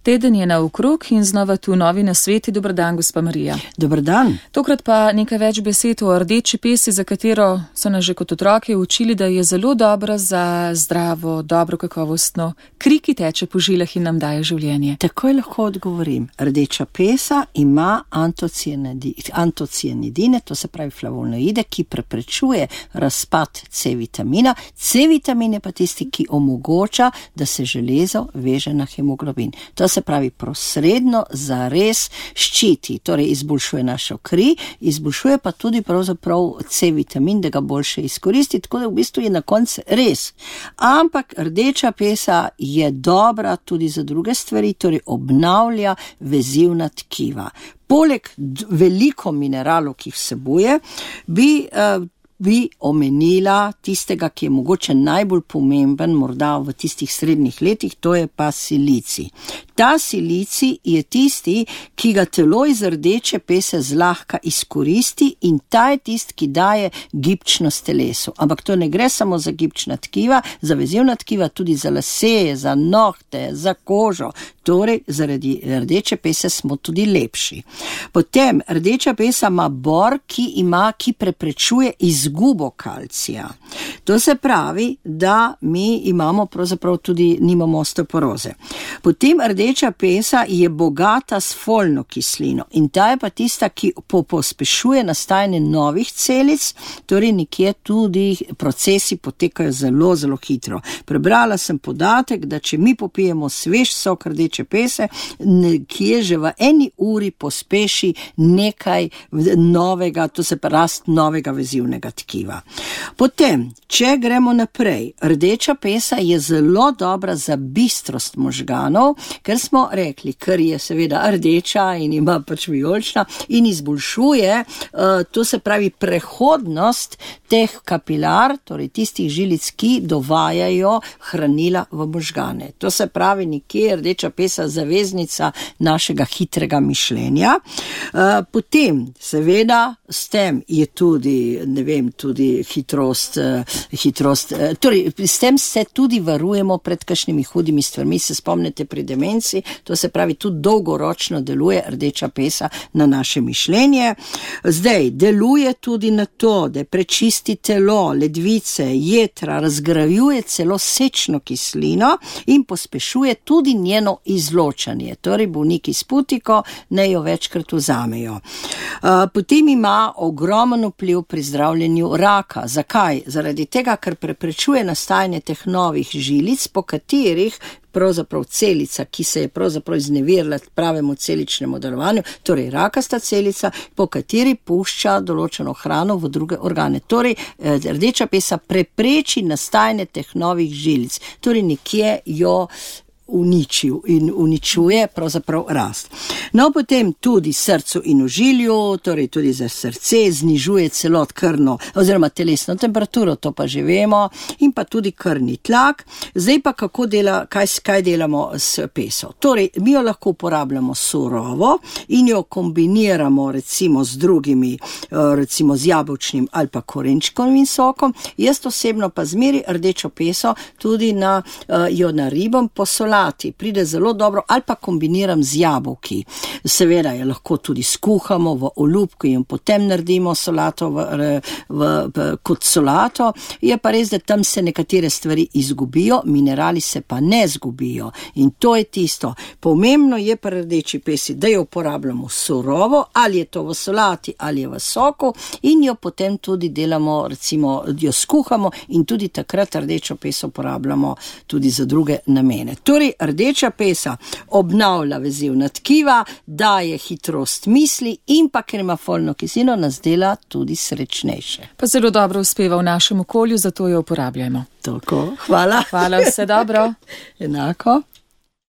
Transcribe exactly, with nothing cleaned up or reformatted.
Teden je naokrog in znova tu novi nasveti. Dober dan, gospa Marija. Dober dan. Tokrat pa nekaj več besed o rdeči pesi, za katero so nas že kot otroke učili, da je zelo dobra za zdravo, dobro kakovostno kri, ki teče po žilah in nam daje življenje. Takoj lahko odgovorim. Rdeča pesa ima antocianidine, to se pravi flavonoide, ki preprečuje razpad C-vitamina. C-vitamin je pa tisti, ki omogoča, da se železo veže na hemoglobin. To se pravi posredno zares ščiti, torej izboljšuje našo kri, izboljšuje pa tudi pravzaprav C-vitamin, da ga boljše izkoristi, tako da v bistvu je na koncu res. Ampak rdeča pesa je dobra tudi za druge stvari, torej obnavlja vezivna tkiva. Poleg veliko mineralov, ki jih vsebuje, bi uh, bi omenila tistega, ki je mogoče najbolj pomemben, morda v tistih srednjih letih, to je pa silicij. Ta silicij je tisti, ki ga telo iz rdeče pese zlahka izkoristi in ta je tisti, ki daje gibčnost telesu. Ampak to ne gre samo za gibčna tkiva, za vezivna tkiva, tudi za lase, za nohte, za kožo. Torej, zaradi rdeče pese smo tudi lepši. Potem, rdeča pesa ima bor, ki ima, ki preprečuje izgubo kalcija. To se pravi, da mi imamo pravzaprav tudi, nimamo osteoporoze. Potem, rdeča pesa je bogata s folno kislino in ta je pa tista, ki pospešuje nastajanje novih celic, torej nekje tudi procesi potekajo zelo, zelo hitro. Prebrala sem podatek, da če mi popijemo svež sok rdeče pese, nekje že v eni uri pospeši nekaj novega, to se pa rast novega vezivnega tkiva. Potem, če gremo naprej, rdeča pesa je zelo dobra za bistrost možganov, ker smo rekli, ker je seveda rdeča in ima pač vijolična in izboljšuje, to se pravi prehodnost teh kapilar, torej tistih žilic, ki dovajajo hranila v možgane. To se pravi nekje rdeča pesa zaveznica našega hitrega mišljenja. Potem, seveda, s tem je tudi, ne vem, tudi hitrost, hitrost, torej s tem se tudi varujemo pred kakšnimi hudimi stvarmi, se spomnite pri demenci, to se pravi tudi dolgoročno deluje rdeča pesa na naše mišljenje. Zdaj, deluje tudi na to, da prečisti telo, ledvice, jetra, razgrajuje celo sečno kislino in pospešuje tudi njeno izločanje. Torej, bolniki s putiko ne jo večkrat vzamejo. Potem ima ogromen vpliv pri zdravljenju raka. Zakaj? Zaradi tega, ker preprečuje nastajanje teh novih žilic, po katerih pravzaprav celica, ki se je pravzaprav izneverila pravemu celičnemu delovanju, torej rakasta celica, po kateri pušča določeno hrano v druge organe. Torej, rdeča pesa prepreči nastajanje teh novih žilic. Torej, nekje jo uničil in uničuje pravzaprav rast. No, potem tudi srcu in ožilju, torej tudi za srce, znižuje celot krvno oziroma telesno temperaturo, to pa že vemo, in pa tudi krvni tlak. Zdaj pa kako dela, kaj, kaj delamo s peso? Torej, mi jo lahko uporabljamo surovo in jo kombiniramo recimo z drugimi, recimo z jabolčnim ali pa korenčkovim sokom. Jaz osebno pa zmeri rdečo peso tudi na, jo naribam po solati. Pride zelo dobro, ali pa kombiniram z jabolki. Seveda jo lahko tudi skuhamo v olupku in potem naredimo solato v, v, v, kot solato. Je pa res, da tam se nekatere stvari izgubijo, minerali se pa ne izgubijo. In to je tisto. Pomembno je pri rdeči pesi, da jo uporabljamo surovo, ali je to v solati, ali je v soku, in jo potem tudi delamo, recimo, jo skuhamo in tudi takrat rdečo peso uporabljamo tudi za druge namene. Torej, rdeča pesa obnavlja vezivna tkiva, daje hitrost misli in pa ker ima folno kislino, nas dela tudi srečnejše. Pa zelo dobro uspeva v našem okolju, zato jo uporabljamo. Tako, hvala. Hvala, vse dobro. Enako.